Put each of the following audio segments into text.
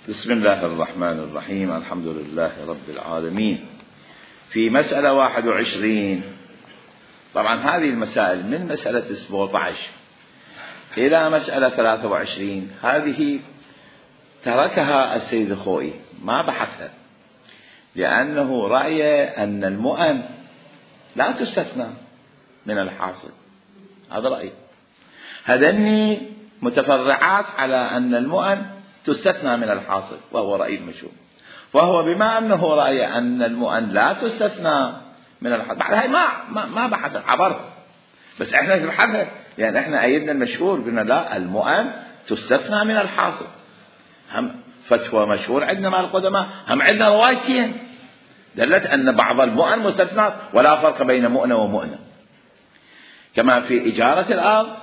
بسم الله الرحمن الرحيم. الحمد لله رب العالمين. في مسألة 21، طبعا هذه المسائل من مسألة 17 إلى مسألة 23 هذه تركها السيد الخوئي ما بحثها، لأنه رأي أن المؤن لا تستثنى من الحاصل. هذا رأي. هذني متفرعات على أن المؤن تستثنى من الحاصل، وهو رأي المشهور. وهو بما أنه رأي أن المؤن لا تستثنى من الحاصل، بعد هاي ما بحث عبر، بس احنا نبحثها، يعني احنا أيدنا المشهور قلنا لا، المؤن تستثنى من الحاصل. هم فتوى مشهور عندنا مع القدماء، هم عندنا روايتين دلت أن بعض المؤن مستثنى، ولا فرق بين مؤنة ومؤنة، كما في إجارة الأرض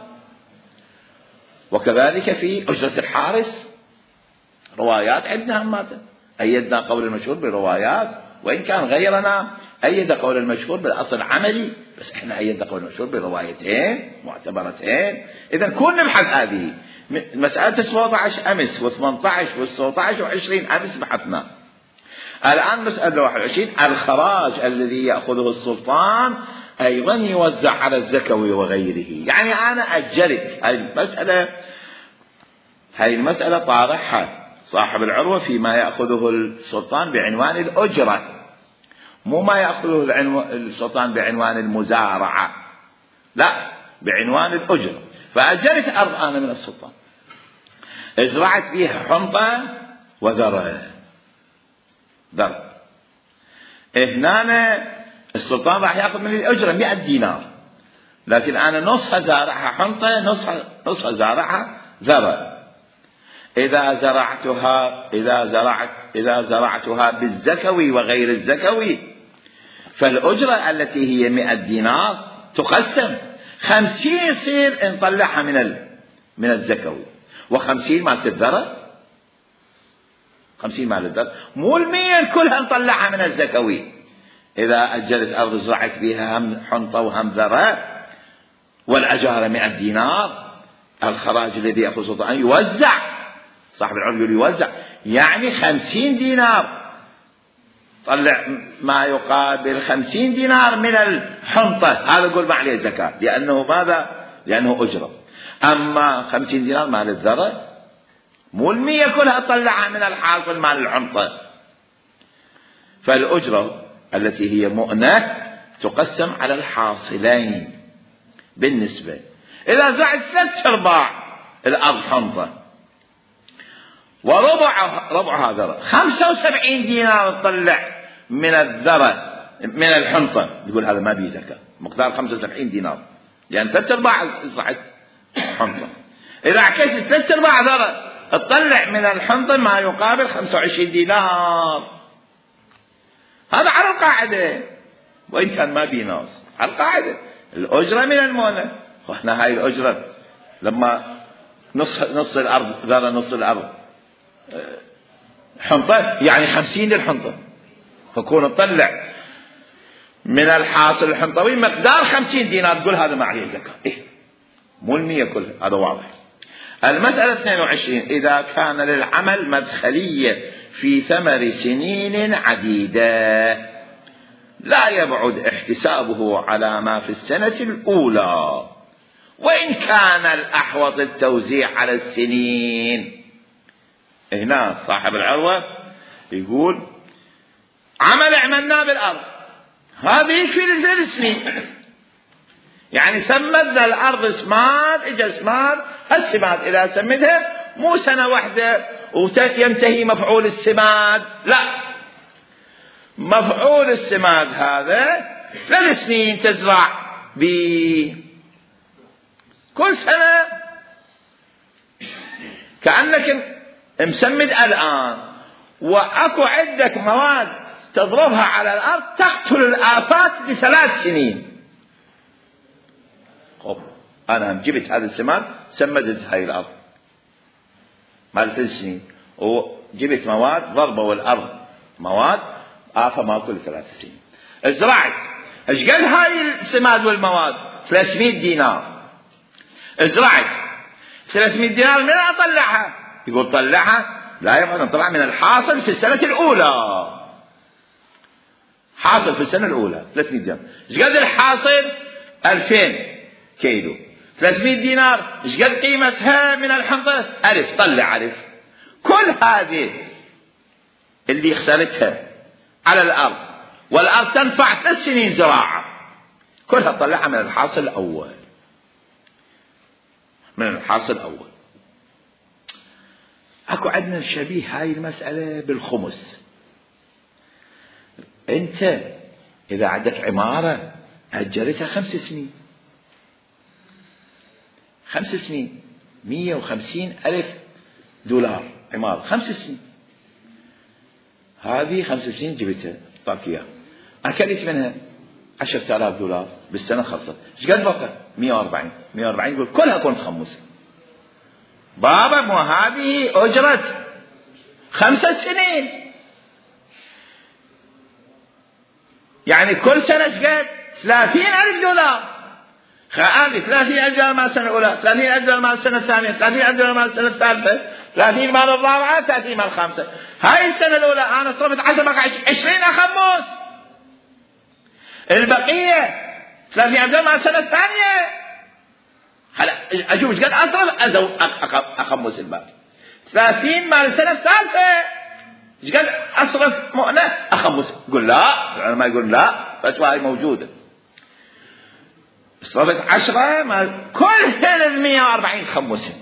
وكذلك في أجرة الحارس. روايات عندنا هم أيدنا قول المشهور بروايات، وإن كان غيرنا أيد قول المشهور بالأصل عملي، بس إحنا أيدنا قول المشهور بروايتين معتبرتين. إذا كنا نبحث هذه مسألة 17 أمس و18 و19 و20 أمس بحثنا. الآن مسألة 21، الخراج الذي يأخذه السلطان أيضا يوزع على الزكوي وغيره. يعني أنا أجلت هذه المسألة طارحها صاحب العروة فيما يأخذه السلطان بعنوان الأجرة، مو ما يأخذه السلطان بعنوان المزارعة، لا، بعنوان الأجرة. فأجلت أرض أنا من السلطان، ازرعت فيها حنطة وذرة. هنا السلطان راح يأخذ من الأجرة 100 دينار، لكن أنا نصها زارعها حنطة، نصها زارعها ذرة. إذا زرعتها بالزكوي وغير الزكوي، فالأجرة التي هي 100 دينار تقسم 50 يصير نطلعها من الزكوي، و50 مالت الذرة، 50 مال الذرة، مو 100 كلها نطلعها من الزكوي. إذا أجلت أرض زرعت بها هم حنطة وهم ذرة والأجارة 100 دينار، الخراج الذي يأخذ سلطان يوزع، صاحب العرض يوزع، يعني 50 دينار طلع ما يقابل 50 دينار من الحنطة، هذا يقول ما عليه زكاة، لأنه ماذا؟ لأنه أجرة. أما 50 دينار مال الذرة، مو 100 كلها طلعها من الحاصل مال الحنطة. فالأجرة التي هي مؤنة تقسم على الحاصلين بالنسبة. إذا زعت 3/4 الأرض حنطة وربعها ذرة، 75 دينار تطلع من الذرة من الحنطة، تقول هذا ما بيه زكاة، مقدار 75 دينار، لأن 3/4 زرعت حنطة. إذا عكست 3/4 ذرة تطلع من الحنطة ما يقابل 25 دينار. هذا على القاعدة، وإن كان ما بيه ناس، على القاعدة الأجرة من المؤنة. وإحنا هاي الأجرة لما نص الأرض ذرة، نص الأرض حنطة، يعني 50 للحنطة، فكون تطلع من الحاصل الحنطوي مقدار 50 دينار، تقول هذا ما عليه زكاة، مو 100 كلها. هذا واضح. المسألة 22، إذا كان للعمل مدخلية في ثمر سنين عديدة لا يبعد احتسابه على ما في السنة الأولى، وإن كان الأحوط التوزيع على السنين. هنا صاحب العروة يقول عمل عملناه بالأرض، هذه في السنين، يعني سمدنا الأرض سماد، إجا سماد، السماد إذا سمدها مو سنة واحدة وينتهي مفعول السماد، لا، مفعول السماد هذا 3 سنين تزرع كل سنة، كأنك مسمد الآن وأكو عندك مواد تضربها على الأرض تقتل الآفات ب3 سنين. أنا جبت هذا السماد سمدت هاي الأرض مال 3 سنين، وجبت مواد ضربوا الأرض مواد آفة ما كل 3 سنين. ازرعت ايش قد هاي السماد والمواد؟ 300 دينار. ازرعت 300 دينار من أطلعها؟ يقول طلعها لا يبقى نطلع من الحاصل في السنة الأولى. حاصل في السنة الأولى 300 درهم. ايش قد الحاصل؟ 2000 كيلو. 300 دينار ايش قد قيمتها من الحنطة؟ 1000. طلع 1000. كل هذه اللي خسرتها على الأرض والأرض تنفع 3 سنين زراعة، كلها طلعها من الحاصل الأول. من الحاصل الأول. اكو عندنا شبيه هاي المسألة بالخمس. انت اذا عندك عمارة اجرتها 5 سنين، 5 سنين 150,000 دولار عمارة 5 سنين، هذه 5 سنين جبتها اعطاك اياها، اكلت منها 10,000 دولار بالسنة خلصت. ايش قد بقى؟ 140 يقول كلها كنت خمسة. بابا مو هذه أجرت 5 سنين، يعني كل سنة قد 30,000 دولار. هذه 30,000 دولار مع السنة الأولى، 30,000 دولار مع السنة الثانية، 30,000 دولار مع السنة الثالثة، 30 مع الرابعة، 30 مع الخامسة. هاي السنة الأولى أنا صرفت 10 بقى 20 أخمس. البقية 30,000 دولار مع السنة الثانية. هلا اشوف ايش قد اصرف اخمس الباقي. 30 مع السنه الثالثه ايش قد اصرف مؤنه اخمس. قل لا، العلماء يقول لا، فتوى هاي موجوده. صرفت 10 مع كل ال 140 خمسها.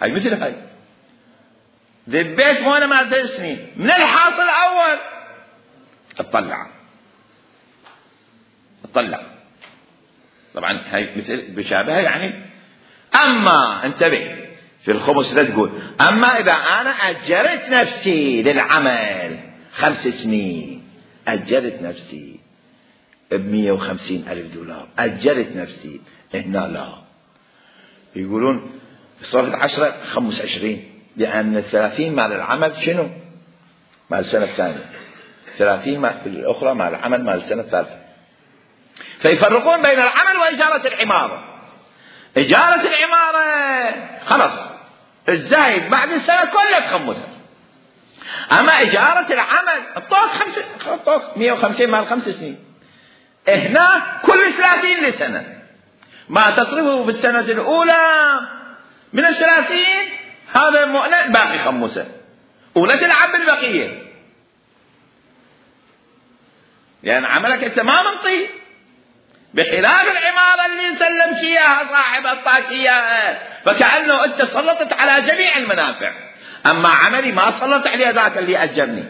هاي مثل هاي ذبيت مؤنه مع 3 سنين من الحاصل الاول. اطلع طبعا هاي مثل بشابهها يعني. اما انتبه في الخمس لا تقول اما اذا انا اجرت نفسي للعمل 5 سنين، اجرت نفسي ب150,000 دولار، اجرت نفسي، هنا لا، يقولون صرفت 10 25، لان 30 مع العمل شنو؟ مع السنه الثانيه، 30 مع الاخرى مع العمل مع السنه الثالثه. فيفرقون بين العمل وإجارة العمارة. إجارة العمارة خلاص الزايد بعد السنة كلها تخمسها. أما إجارة العمل الطوق 150 مع 5 سنين، هنا كل 30 لسنة، ما تصرفه في السنة الأولى من 30 هذا مؤنة باقي خمسة، ولا تلعب بالبقية، لأن عملك أنت ما منطي، بخلاف العمارة اللي سلمت إياها صاحب أعطاك إياها، فكأنه أنت سلطت على جميع المنافع. أما عملي ما سلطت عليه ذاك اللي أجرني،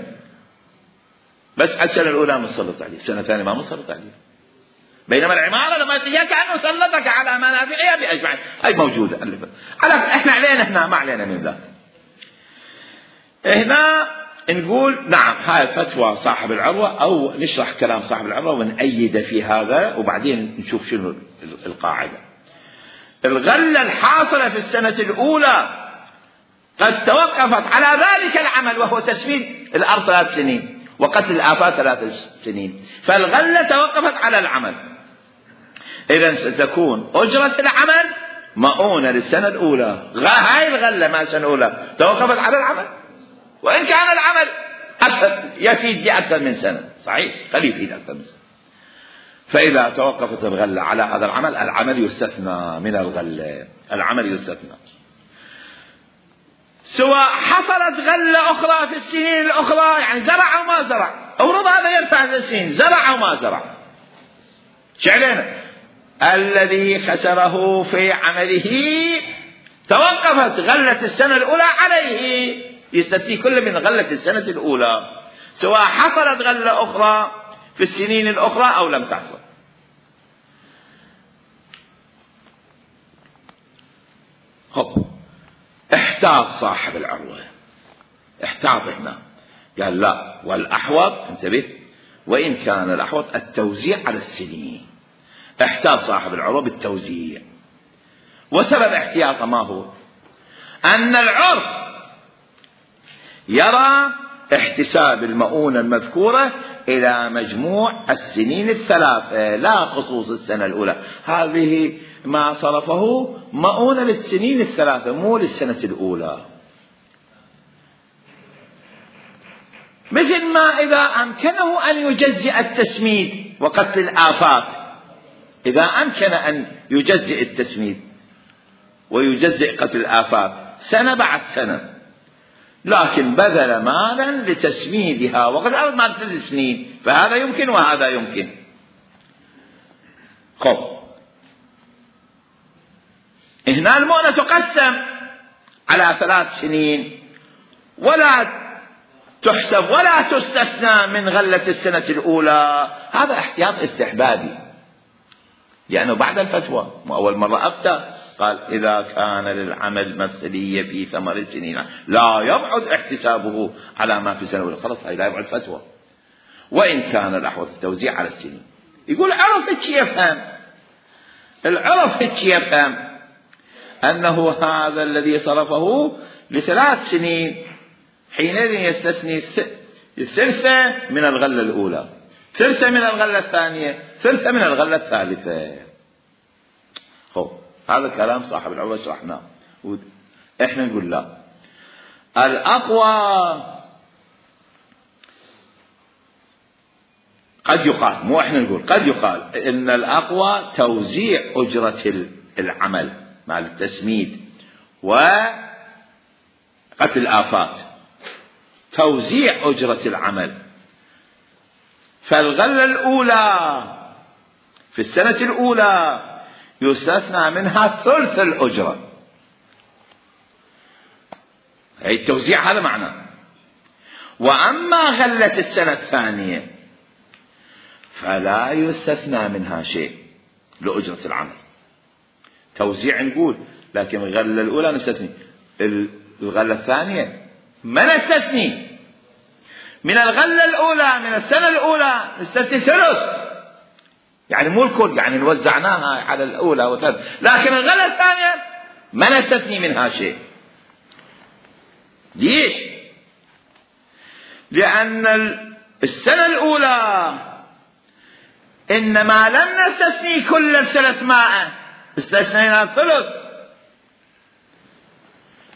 بس السنة الأولى مسلط عليه، السنة الثانية ما مسلط عليه. بينما العمارة لما تجيها كأنه سلطك على منافعها بأجمعين. هاي موجودة. احنا علينا هنا ما علينا من ذاك. هنا نقول نعم هاي فتوى صاحب العروة، أو نشرح كلام صاحب العروة ونأيد في هذا، وبعدين نشوف شنو القاعدة. الغلة الحاصلة في السنة الأولى قد توقفت على ذلك العمل، وهو تسميد الأرض 3 سنين وقتل الآفات 3 سنين، فالغلة توقفت على العمل. إذن ستكون أجرة العمل مؤونة للسنة الأولى. هاي الغلة ما السنة الأولى توقفت على العمل، وإن كان العمل يفيد بأكثر من سنة، صحيح خليه يفيد أكثر من سنة. فإذا توقفت الغلة على هذا العمل، العمل يستثنى من الغلة، العمل يستثنى. سواء حصلت غلة أخرى في السنين الأخرى، يعني زرع أو ما زرع، أورد هذا يرفع السنين، زرع أو ما زرع، شعلنا الذي خسره في عمله توقفت غلة السنة الأولى عليه، يستثني كل من غلة السنة الأولى، سواء حصلت غلة أخرى في السنين الأخرى أو لم تحصل. احتاط صاحب العروة، احتاط هنا، قال لا، والأحوط انتبه، وإن كان الأحوط التوزيع على السنين. احتاط صاحب العروة بالتوزيع. وسبب احتياطه ما هو؟ أن العرف يرى احتساب المؤونة المذكورة إلى مجموع السنين الثلاثة لا خصوص السنة الأولى. هذه ما صرفه مؤونة للسنين الثلاثة مو للسنة الأولى. مثل ما إذا أمكنه أن يجزئ التسميد وقتل الآفات، إذا أمكن أن يجزئ التسميد ويجزئ قتل الآفات سنة بعد سنة، لكن بذل مالا لتسميدها وقد أرد مال 3 سنين، فهذا يمكن وهذا يمكن. خب هنا المؤنة تقسم على 3 سنين ولا تحسب ولا تستثنى من غلة السنة الأولى. هذا احتياط استحبابي، يعني بعد الفتوى مو أول مرة أفتى قال إذا كان للعمل مثلية في 8 سنين لا يبعد احتسابه على ما في السنة الأولى، خلاص لا يبعد فتوى. وإن كان الأحوط التوزيع على السنين. يقول عرف هيك يفهم، العرف هيك يفهم أنه هذا الذي صرفه ل3 سنين حينئذ يستثني 1/3 من الغلة الأولى، 1/3 من الغلة الثانية، 1/3 من الغلة الثالثة. خب هذا كلام صاحب العروة شرحناه. احنا نقول لا، الأقوى قد يقال، مو احنا نقول، قد يقال ان الأقوى توزيع أجرة العمل مع التسميد وقتل الآفات، توزيع أجرة العمل. فالغلة الأولى في السنة الأولى يستثنى منها 1/3 الأجرة، هي التوزيع هذا معناه. وأما غلة السنة الثانية فلا يستثنى منها شيء لأجرة العمل، توزيع نقول، لكن الغلة الأولى نستثني، الغلة الثانية ما نستثني. من الغلة الأولى من السنة الأولى نستثني 1/3، يعني مو الكل، يعني وزعناها على الأولى وثالث، لكن الغلة الثانية ما نستثني منها شيء. ليش؟ لأن السنة الأولى إنما لم نستثني كل 300، استثنينا 1/3،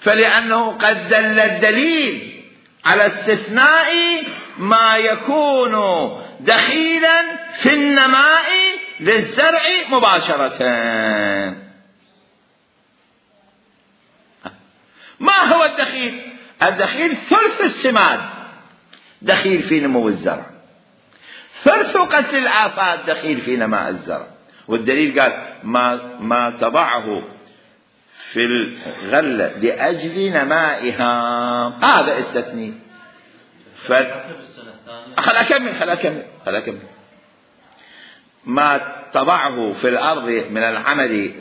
فلأنه قد دل الدليل على استثناء ما يكون دخيلا في النماء للزرع مباشرة. ما هو الدخيل؟ الدخيل 1/3 السماد دخيل في نمو الزرع، 1/3 قتل الآفات دخيل في نماء الزرع. والدليل قال ما تضعه في الغلة لأجل نمائها، هذا استثني. خل أكمل. ما تضعه في الأرض من العمل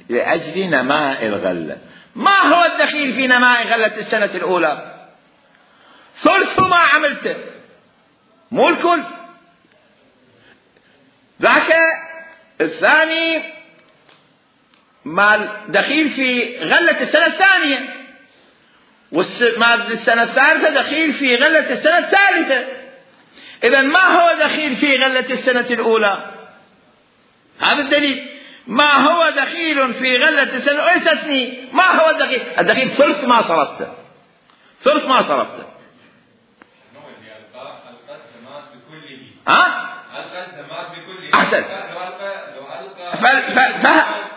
لأجل نماء الغلة. ما هو الدخيل في نماء غلة السنة الأولى؟ 1/3 ما عملته، مو الكل. ذاك الثاني ما دخيل في غلة السنة الثانية، والما السنة الثالثة دخيل في غلة السنة الثالثة. إذا ما هو دخيل في غلة السنة الأولى؟ هذا الدليل. ما هو دخيل في غلة السنة الأولى استثني. ما هو الدخيل؟ الدخيل 1/3 ما صرفته، 1/3 ما صرفته. أحسن.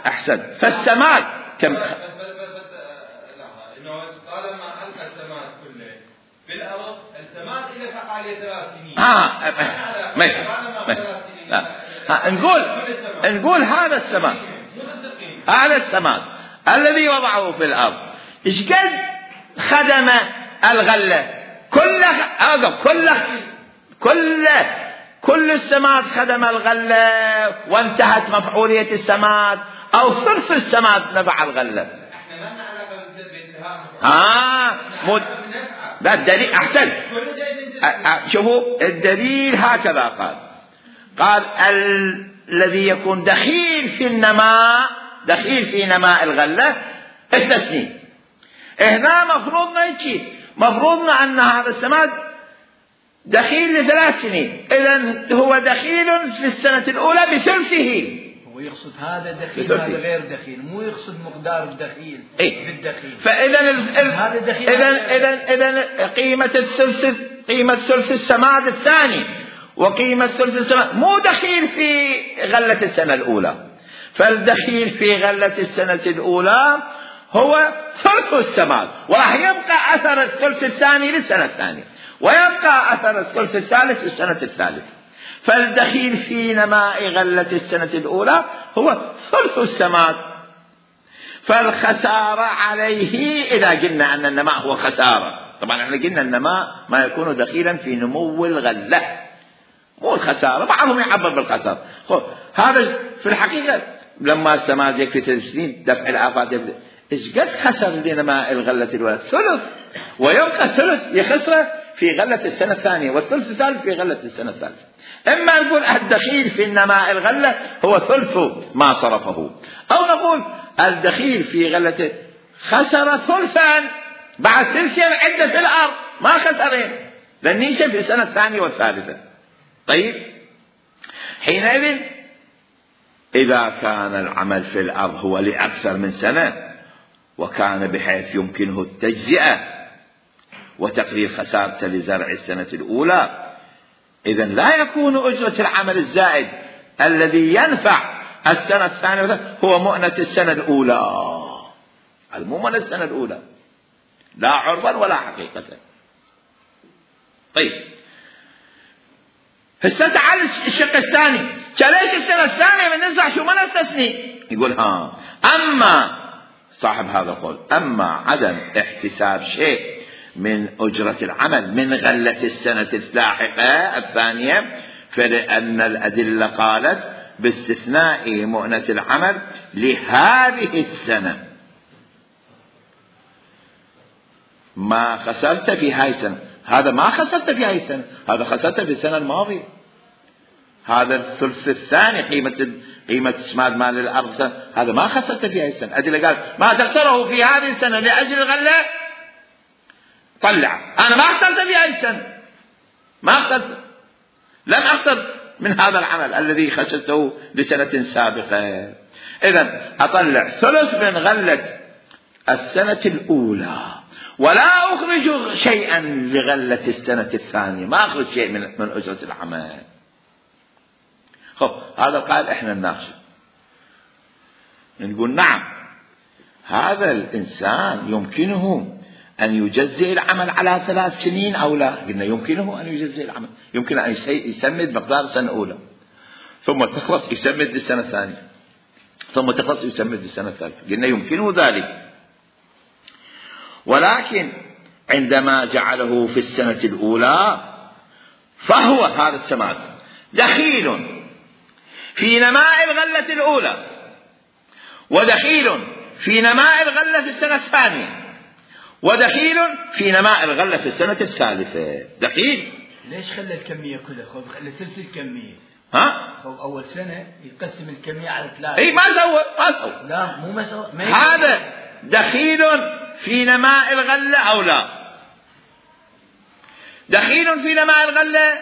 أحسن. فالسماد كم؟ إنه طالما ألقى السماد كله في الأرض، السماد إلى فعالية 3 سنين. نقول هذا السماد الذي وضعه في الأرض إيش قد خدم الغلة؟ كل السماد خدم الغلة وانتهت مفعولية السماد، أو 1/3 السماد نفع الغلة. لا الدليل أحسن. شوفوا الدليل هكذا قال الذي يكون دخيل في النماء، دخيل في نماء الغلة استثني. هنا مفروضنا هيك، مفروضنا أن هذا السماد دخيل ل3 سنين، إذن هو دخيل في السنة الأولى بثلثه. هو يقصد هذا دخيل هذا غير دخيل، مو يقصد مقدار الدخيل بالدخيل. إذن قيمة ثلث السماد الثاني وقيمة ثلث السماد مو دخيل في غلة السنة الأولى، فالدخيل في غلة السنة الأولى هو ثلث السماد، وراح يبقى أثر الثلث الثاني للسنة الثانية، ويبقى أثر الثلث الثالث للسنة الثالثة. فالدخيل في نماء غلة السنة الأولى هو ثلث السماد، فالخسارة عليه إذا قلنا أن النماء هو خسارة. طبعا احنا قلنا النماء ما يكون دخيلا في نمو الغلة، مو الخسارة، بعضهم يعبر بالخسارة. هذا في الحقيقة لما السماد يكفي 3 سنين دفع الآفات يبدأ إيش قد خسر لنماء الغلة الأولى؟ ثلث، ويبقى ثلث يخسره في غلة السنة الثانية، والثلث الثالث في غلة السنة الثالثة. إما نقول الدخيل في النماء الغلة هو ثلث ما صرفه، أو نقول الدخيل في غلة خسر ثلثا بعد ثلثين عدة في الأرض، ما خسرين لأن ينشأ في السنة الثانية والثالثة. طيب حينئذ إذا كان العمل في الأرض هو لأكثر من سنة وكان بحيث يمكنه التجزئة وتقرير خسارته لزرع السنة الأولى، إذن لا يكون أجرة العمل الزائد الذي ينفع السنة الثانية هو مؤنة السنة الأولى، المؤنة السنة الأولى لا عرضا ولا حقيقة. طيب تعال الشق الثاني، ليش السنة الثانية من نزع شو ما نستثني؟ يقول أما صاحب هذا القول أما عدم احتساب شيء من أجرة العمل من غلة السنة اللاحقة الثانية، فلأن الأدلة قالت باستثناء مؤنة العمل لهذه السنة، ما خسرت في هاي السنة، هذا ما خسرت في هاي السنة، هذا خسرت في السنة الماضية. هذا الثلث الثاني قيمة اسماد مال الأرض هذا ما خسرت في هاي السنة. أدلة قال ما تخسره في هذه السنة لأجل الغلة طلع، أنا ما خسرت في هاي السنة، ما خسرت، لم أخسر من هذا العمل الذي خسرته لسنة سابقة. إذن أطلع ثلث من غلة السنة الأولى ولا أخرج شيئا لغلة السنة الثانية، ما أخرج شيء من أجرة العمل. هذا قال إحنا نناقشه، نقول نعم هذا الإنسان يمكنه أن يجزئ العمل على 3 سنين أو لا؟ قلنا يمكنه أن يجزئ العمل، يمكن أن يسمد مقدار السنة الأولى ثم تخلص يسمد للسنة الثانية ثم تخلص يسمد للسنة الثالثة، قلنا يمكنه ذلك. ولكن عندما جعله في السنة الأولى فهو هذا السماد دخيل في نماء الغلة الأولى ودخيل في نماء الغلة في السنة الثانية ودخيل في نماء الغلة في السنة الثالثة. دخيل ليش خلى الكمية كلها؟ خلى ثلث الكمية. أول سنة يقسم الكمية على 3. إيه ما سوى لا مو ما سوى. هذا دخيل في نماء الغلة أو لا؟ دخيل في نماء الغلة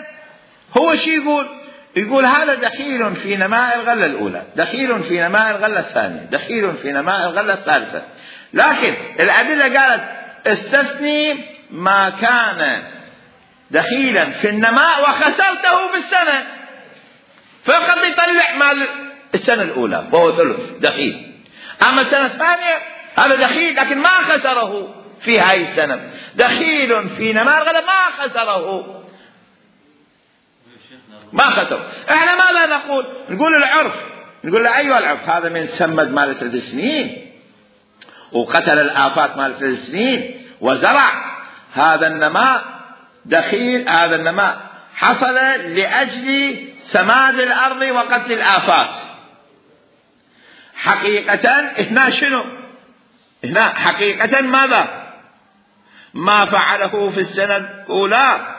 هو شي يقول هذا دخيل في نماء الغلة الأولى، دخيل في نماء الغلة الثانية، دخيل في نماء الغلة الثالثة. لكن الأدلة قالت استثني ما كان دخيلا في النماء وخسرته بالسنة، فقد يطلع مال السنة الأولى وهو ثلث دخيل. أما السنة الثانية هذا دخيل لكن ما خسره في هاي السنة، دخيل في نماء الغلة ما خسره، ما خسر. احنا ماذا نقول؟ نقول العرف، نقول له أيها العرف هذا من سمد مال 3 سنين وقتل الآفات مال 3 سنين وزرع، هذا النماء دخيل، هذا النماء حصل لأجل سماد الأرض وقتل الآفات. حقيقة هنا شنو؟ هنا حقيقة ماذا؟ ما فعله في السنة الأولى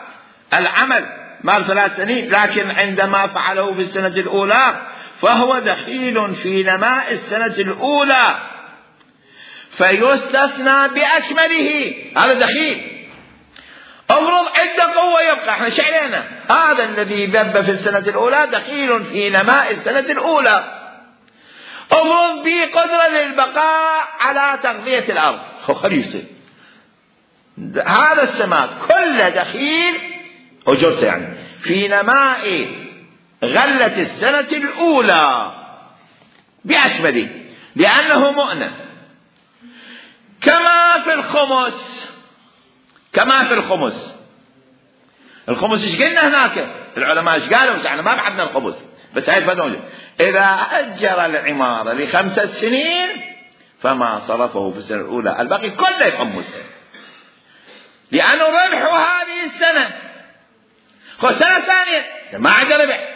العمل مال 3 سنين، لكن عندما فعله في السنة الأولى فهو دخيل في نماء السنة الأولى، فيستثنى بأكمله، هذا دخيل. افرض عنده قوة يبقى، احنا شعلينا هذا الذي ذب في السنة الأولى دخيل في نماء السنة الأولى. افرض به قدرة للبقاء على تغذية الأرض، خليه يصير هذا السماد كله دخيل أجرته يعني في نماء غلة السنة الأولى بأكمله، لأنه مؤنة. كما في الخمس. الخمس ايش قلنا هناك؟ العلماء ايش قالوا؟ احنا ما بعدنا الخمس، بس هاي فنوجه إذا أجر العمارة ل5 سنين فما صرفه في السنة الأولى الباقي كله يخمسه، لأنه ربحه هذه السنة. السنة الثانية ما عاد ربح،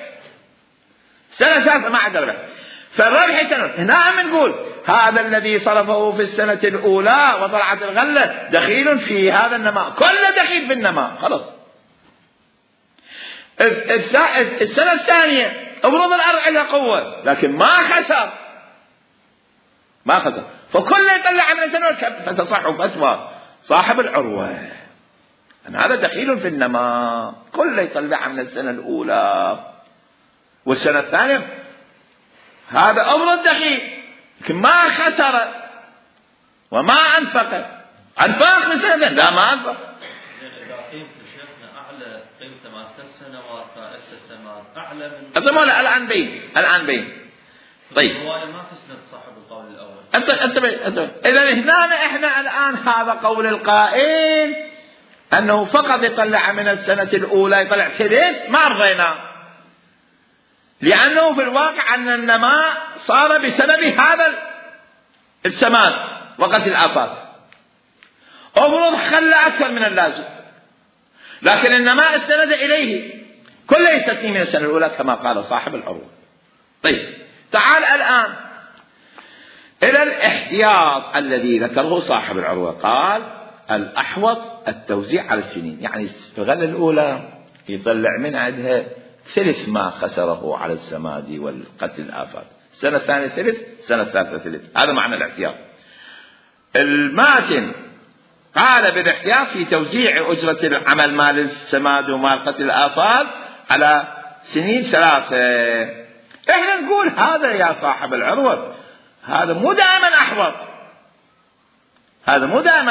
السنة الثالثة ما عاد ربح، فالربح سنة. هنا نقول هذا الذي صرفه في السنة الأولى وطلعت الغلة دخيل في هذا النماء، كله دخيل في النماء خلاص. السنة الثانية افرض الأرض عندها قوة لكن ما خسر، فكله يطلع من السنة، فتصح فتوى صاحب العروة أن هذا دخيل في النماء، كله يطلع من السنة الأولى والسنة الثانية. هذا أمر دخيل لكن ما خسر وما أنفق من سنة، لا ما أنفق. إذا قيمة شيخنا أعلى قيمة مع 3 سنوات السماد أعلى من أتمنى الآن بين. طيب هو ما تسند صاحب القول الأول. إذا هنا إحنا الآن هذا قول القائل أنه فقط يطلع من السنة الأولى يطلع ثلث، ما رضينا، لأنه في الواقع أن النماء صار بسبب هذا السماد وقت الآفات. افرض خلى أكثر من اللازم لكن النماء استند إليه، كله يستثني من السنة الأولى كما قال صاحب العروة. طيب تعال الآن إلى الاحتياط الذي ذكره صاحب العروة. قال الأحوط التوزيع على السنين، يعني في الغلة الأولى يطلع من عندها ثلث ما خسره على السماد والقتل الآفات، السنة الثانية ثلث، السنة الثالثة ثلث، هذا معنى الاحتياط. الماتن قال بالاحتياط في توزيع أجرة العمل مال السماد ومال قتل الآفات على سنين 3. احنا نقول هذا يا صاحب العروة هذا مو دائما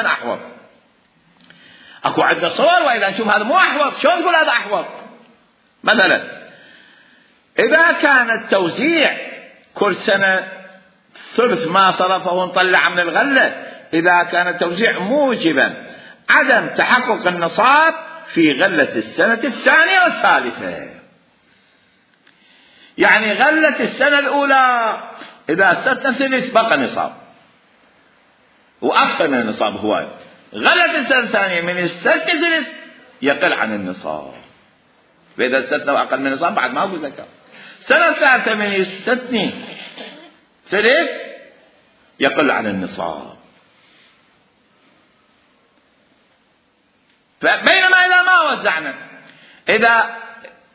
أحوط، اكو عندنا صور واذا نشوف هذا مو أحوط شلون نقول هذا أحوط؟ مثلا إذا كان التوزيع كل سنة ثلث ما صرفه نطلع من الغلة، إذا كان التوزيع موجبا عدم تحقق النصاب في غلة السنة الثانية والثالثة، يعني غلة السنة الأولى إذا استثنى ثلث بقى نصاب وأكثر من النصاب هواي، غلة السنة الثانية من استثنى ثلث يقل عن النصاب، فإذا استثنى أقل من النصاب بعد ما أقول زكاة. السنة الثالثة من يستثني ثلث يقل عن النصاب. فبينما إذا ما وزعنا،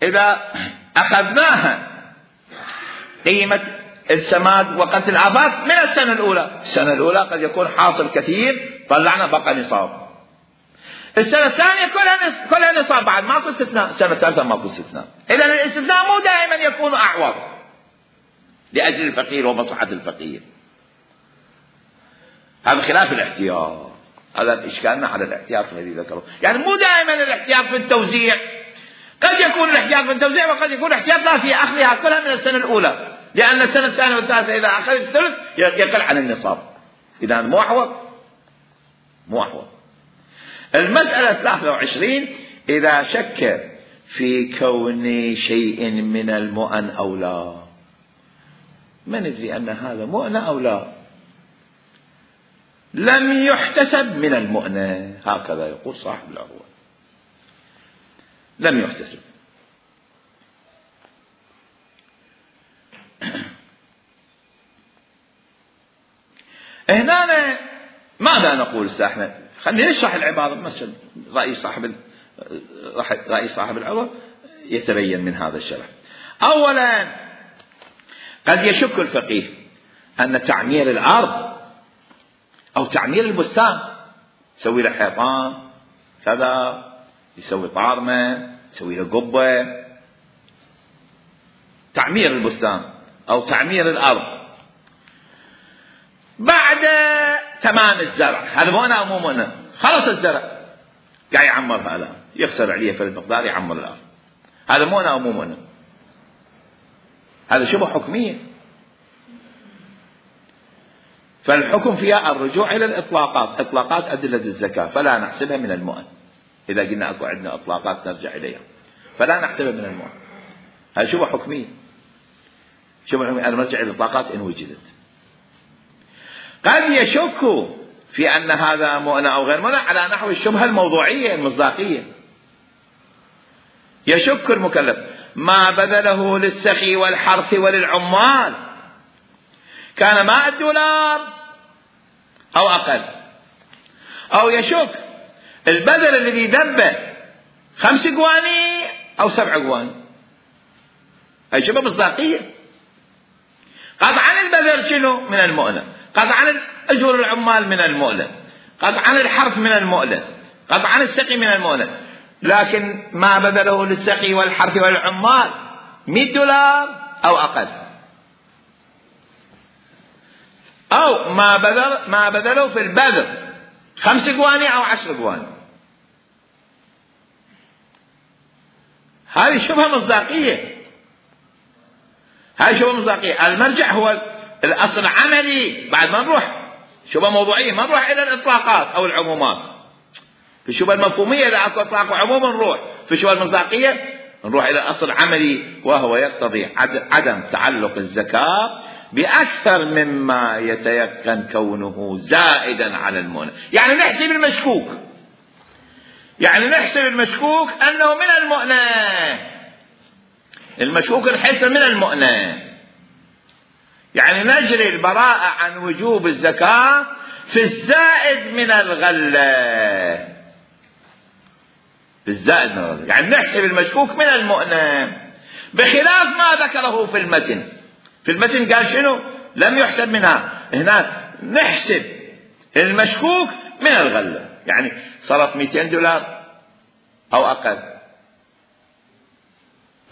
إذا أخذناها قيمة السماد وقتل الآفات من السنة الأولى قد يكون حاصل كثير طلعنا بقى نصاب، السنة الثانية كلها نصاب بعد ماكو استثناء، السنة الثالثة ماكو استثناء. إذا الاستثناء مو دائما يكون أعوض لأجل الفقير ومصلحة الفقير، هذا خلاف الاحتياط. هذا إشكالنا على الاحتياط الذي ذكره، يعني مو دائما الاحتياط في التوزيع، قد يكون الاحتياط في التوزيع وقد يكون الاحتياط لا في أخذها كلها من السنة الأولى، لأن السنة الثانية والثالثة إذا أخذ الثلث يقل عن النصاب، إذا مو أحوط. المسألة 23 إذا شك في كون شيء من المؤن أو لا، ما ندري أن هذا مؤن أو لا، لم يحتسب من المؤن، هكذا يقول صاحب العروة، لم يحتسب. هنا ماذا نقول احنا؟ خلينا نشرح العبارة مثلا، رأي صاحب العروة يتبين من هذا الشرح. أولا قد يشك الفقيه أن تعمير الأرض أو تعمير البستان، يسوي له حيطان كذا، يسوي طارمة، يسوي له قبة، تعمير البستان أو تعمير الأرض. بعد تمام الزرع، هذا مؤنة أو مو مؤنة؟ خلص الزرع قاعد يعمرها الآن، يخسر عليه في المقدار يعمر الأرض، هذا مؤنة أو مو مؤنة؟ هذا شبه حكمية. فالحكم فيها الرجوع إلى الإطلاقات، إطلاقات أدلة الزكاة فلا نحسبها من المؤن. إذا قلنا أكو عندنا إطلاقات نرجع إليها فلا نحسبها من المؤن، هذا شبه حكمية. شبه حكمية أنا نرجع إلى الإطلاقات إن وجدت. قد يشك في أن هذا مؤنة أو غير مؤنة على نحو الشبهة الموضوعية المصداقية. يشك المكلف ما بذله للسقي والحرث وللعمال كان $100 أو أقل، أو يشك البذل الذي دبه 5 قواني أو 7 قواني، هي شبه مصداقية. قطعا البذل شنو من المؤنة، قطعا أجور العمال من المؤنة، قطعا الحرث من المؤنة، قطعا السقي من المؤنة، لكن ما بذله للسقي والحرث والعمال $100 أو أقل، أو ما بذله في البذل 5 قواني أو 10 قواني. هذه شبهة مصداقية، هذه شبهة مصداقية. المرجع هو الأصل العملي. بعد ما نروح شبهة موضوعية ما نروح إلى الإطلاقات أو العمومات. في الشبهة المفهومية إذا أكو إطلاق وعموم نروح، في الشبهة المصداقية نروح إلى الأصل العملي، وهو يقتضي عدم تعلق الزكاة بأكثر مما يتيقن كونه زائدا على المؤنة. يعني نحسب المشكوك، يعني نحسب المشكوك أنه من المؤنة، المشكوك نحسب من المؤنة، يعني نجري البراءة عن وجوب الزكاة في الزائد من الغلة، في الزائد من الغلة، يعني نحسب المشكوك من المؤنة، بخلاف ما ذكره في المتن. في المتن قال شنو؟ لم يحسب منها. هنا نحسب المشكوك من الغلة، يعني صارت $200 أو أقل،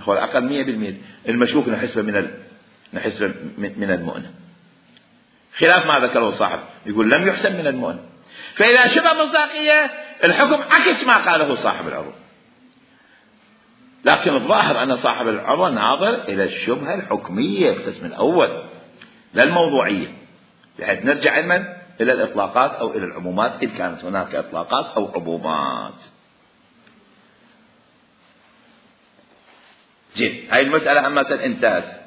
هو الأقل 100%، المشكوك نحسب من المؤنة، خلاف ما ذكره صاحب يقول لم يحسب من المؤنة. فإذا شبه مصداقية الحكم عكس ما قاله صاحب العروض، لكن الظاهر أن صاحب العروض ناظر إلى الشبهة الحكمية القسم الأول لا الموضوعية، بحيث نرجع علما إلى الإطلاقات أو إلى العمومات إذ كانت هناك إطلاقات أو عمومات. جيد، هاي المسألة أما انتهت.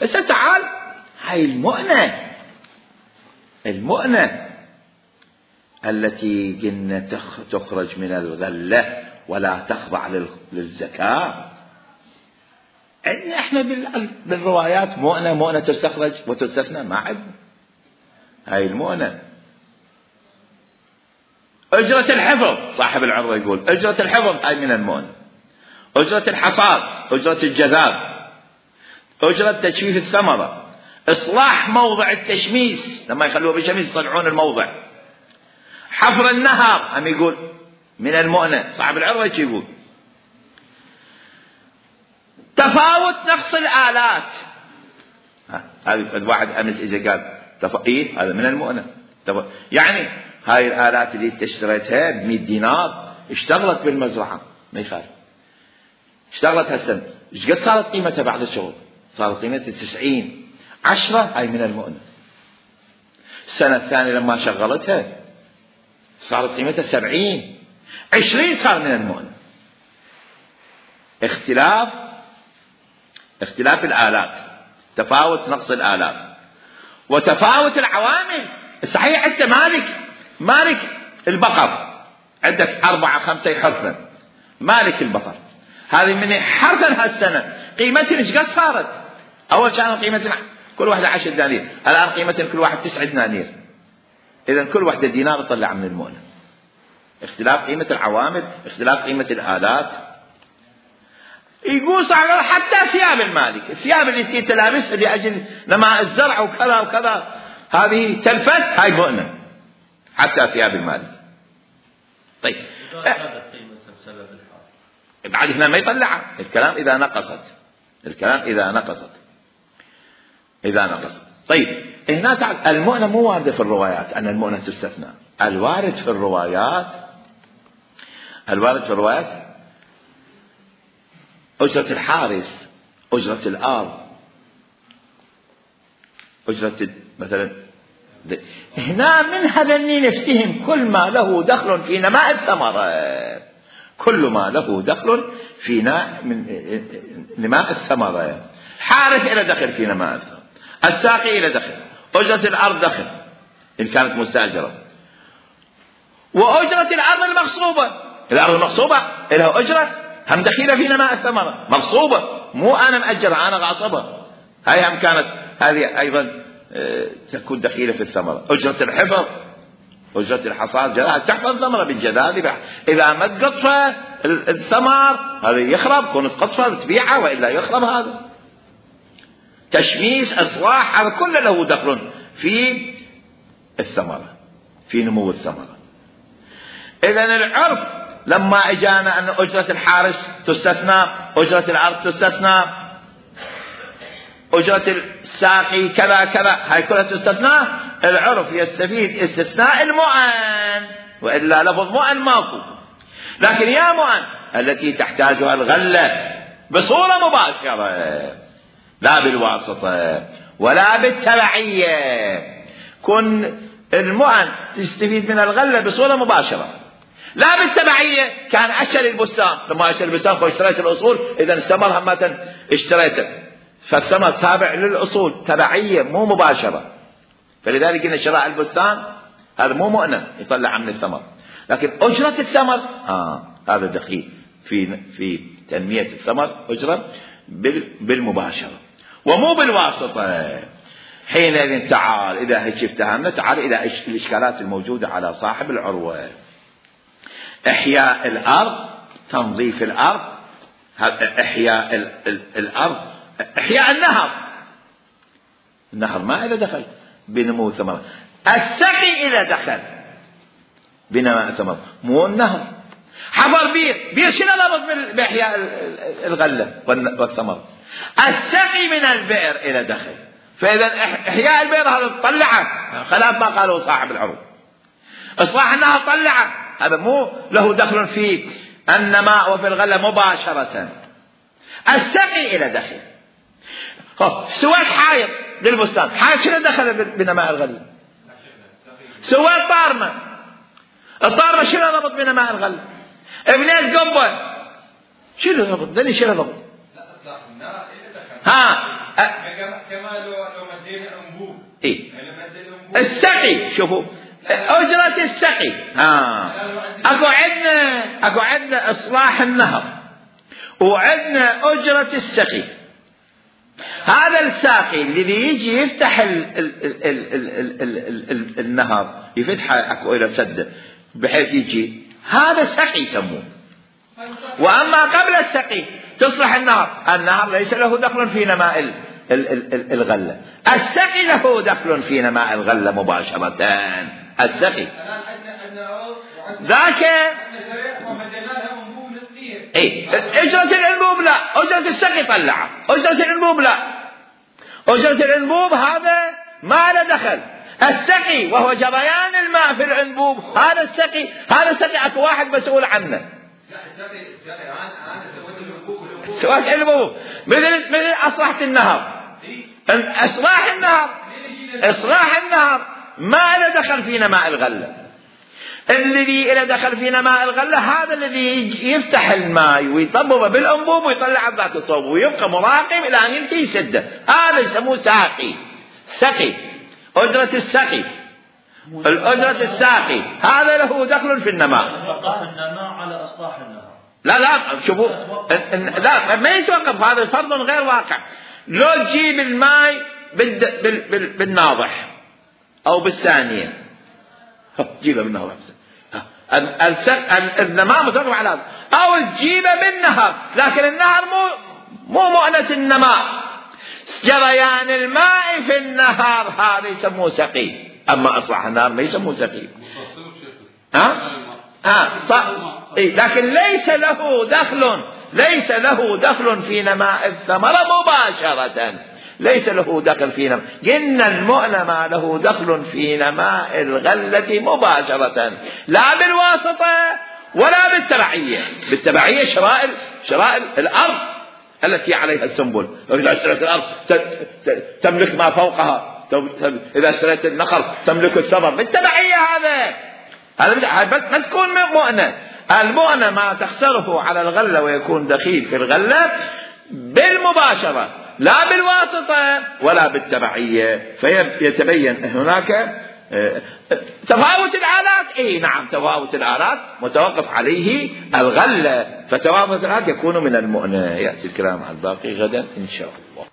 هسه تعال هاي المؤنة التي قلنا تخرج من الغلة ولا تخضع للزكاة. عندنا احنا بالروايات مؤنة تستخرج وتستثنى، ما عندنا هاي المؤنة. أجرة الحفظ، صاحب العروة يقول أجرة الحفظ هاي من المؤنة، أجرة الحصاد، أجرة الجذاب، أجرة تجفيف الثمرة، إصلاح موضع التشميس لما يخلوه بشميس يصلحون الموضع، حفر النهر هم يقول من المؤنة، صاحب العروة يقول تفاوت نقص الآلات. هذا الواحد أمس إذا قال إيه هذا من المؤنة، يعني هاي الآلات اللي اشتريتها $100 اشتغلت بالمزرعة ما يخالف، اشتغلت هالسنة، ايش قد صارت قيمتها بعد الشغل؟ صارت قيمتها 90. 10 هاي من المؤنة. السنة الثانية لما شغلتها صارت قيمتها 70. 20 صار من المؤنة. اختلاف الآلات، تفاوت نقص الآلات، وتفاوت العوامل. صحيح أنت مالك البقر، عندك 4-5 حرثا، مالك البقر هذه من حرثا هالسنة قيمتها ايش قد صارت؟ أول كانت قيمتها كل واحدة 10 دنانير، الآن قيمتها كل واحد 9 دنانير، إذا كل واحدة دينار تطلع من المؤنة. اختلاف قيمة العوامل، اختلاف قيمة الآلات. يقول صار حتى ثياب المالك، الثياب اللي تلابسها لأجل نماء الزرع وكذا وكذا، هذه تلفت، هاي مؤنة حتى ثياب المالك. طيب بعد هنا ما يطلعها، الكلام إذا نقصت. طيب هنا تعال، المؤنة مو واردة في الروايات أن المؤنة تستثنى. الوارد في الروايات أجرة الحارس، أجرة الأرض، أجرة مثلا. هنا من هذا نفتهم كل ما له دخل في نماء الثمرة، كل ما له دخل في نماء الثمرة. حارس إلى دخل في نماء الثمرة، الساقي إلى دخل، أجرة الأرض دخل إن كانت مستأجرة، وأجرة الأرض المغصوبة. الأرض المغصوبة لها أجرة، هم دخيلة في نماء الثمرة، مغصوبة، مو أنا مأجرة، أنا غاصبة. هاي هم كانت هذه أيضا تكون دخيلة في الثمرة. أجرة الحفظ، أجرة الحصاد، تحفظ الثمرة بالجذاذ. إذا ما تقطف الثمر هذا يخرب، كونت قطفة تبيعها وإلا يخرب. هذا تشميس، إصلاح، هذا كله له دخل في الثمرة، في نمو الثمرة. إذن العرف لما اجانا أن أجرة الحارس تستثنى، أجرة الأرض تستثنى، أجرة الساقي كذا كذا، هاي كلها تستثنى. العرف يستفيد استثناء المؤن، وإلا لفظ مؤن ماكو. لكن يا مؤن التي تحتاجها الغلة بصورة مباشرة، لا بالواسطة ولا بالتبعية، كن المؤن تستفيد من الغلة بصورة مباشرة لا بالتبعية. كان أشتري البستان، لما أشتري البستان اشتريت الأصول، إذا الثمر همة اشتريته، فالثمر تابع للأصول، تبعية مو مباشرة. فلذلك إن شراء البستان هذا مو مؤنة يطلع من الثمر. لكن أجرة الثمر هذا دخيل في تنمية الثمر، أجرة بالمباشرة ومو بالواسطة. حينئذ تعال إذا هيك افتهمنا، تعال إلى الإشكالات الموجودة على صاحب العروة. إحياء الأرض، تنظيف الأرض، إحياء الأرض، إحياء النهر ما إلى دخل بنمو ثمرة. السقي إلى دخل بنماء ثمرة، مو النهر. حفر بير شنو ربط بإحياء الغلة والثمرة؟ السقي من البئر إلى دخل. فإذا إحياء البئر هذا طلعه، خلاف ما قالوا صاحب العروض. إصلاح النهر طلعه، هذا مو له دخل في النماء وفي الغلة مباشرة. السقي إلى دخل. سويت حائط للبستان، حائط شنو دخل بنماء الغلة؟ سويت طارمة، الطارمة شنو ربط بنماء الغلة؟ ابنيت قبة، شنو ربط؟ دني شنو ربط؟ كما لو مدينا أنبوب. إيه السقي، شوفوا أجرة السقي. أكو عندنا إصلاح النهر، وعندنا أجرة السقي. هذا الساقي الذي يجي يفتح النهر، يفتحه أكو إلى سده بحيث يجي، هذا سقي يسموه. وأما قبل السقي تصلح النهر ليس له دخل في نماء الغلة. السقي له دخل في نماء الغلة مباشرة. السقي ذاك أجرة الأنبوب لا، أجرة السقي طلعه. أجرة الأنبوب لا، أجرة الأنبوب هذا ما له دخل. السقي وهو جريان الماء في الأنبوب، هذا السقي، هذا السقي أكو واحد مسؤول عنه. لا السقي أنا سويت الأنبوب. سويت الأنبوب مثل أصلحت النهر. إصلاح النهر ما له دخل في نماء الغلة. الذي له دخل في نماء الغلة هذا الذي يفتح الماء ويطببه بالأنبوب ويطلع ذاك الصوب ويبقى مراقب إلى أن ينتهي يسده، هذا يسموه سقي. أجرة السقي، الأجرة الساقي هذا له دخل في النماء. النماء على إصلاح النهر. لا شوفوا، لا ما يتوقف، هذا فرض غير واقع. لو تجيب الماء بالناضح أو بالثانية، جيبه بالنهر، النماء متوقف على هذا، أو تجيبه بالنهر، لكن النهر مو مؤنة النماء. جريان الماء في النهار هذا يسموه سقي، أما أصبح النهار ما يسموه سقي. لكن ليس له دخل في نماء الثمرة مباشرة، ليس له دخل في نماء. قلنا المؤن ما له دخل في نماء الغلة مباشرة، لا بالواسطة ولا بالتبعية. بالتبعية شرائل الأرض التي عليها السنبل. إذا اشتريت الأرض تملك ما فوقها، إذا اشتريت النخل تملك الثمر. بالتبعية هذا ما تكون مؤنة. المؤنة ما تخسره على الغلة ويكون دخيل في الغلة بالمباشرة، لا بالواسطة ولا بالتبعية. فيتبين هناك تفاوت الآلات. نعم، تفاوت الآلات متوقف عليه الغلة، فتفاوت الآلات يكون من المؤنة. يأتي الكلام عن الباقي غدا إن شاء الله.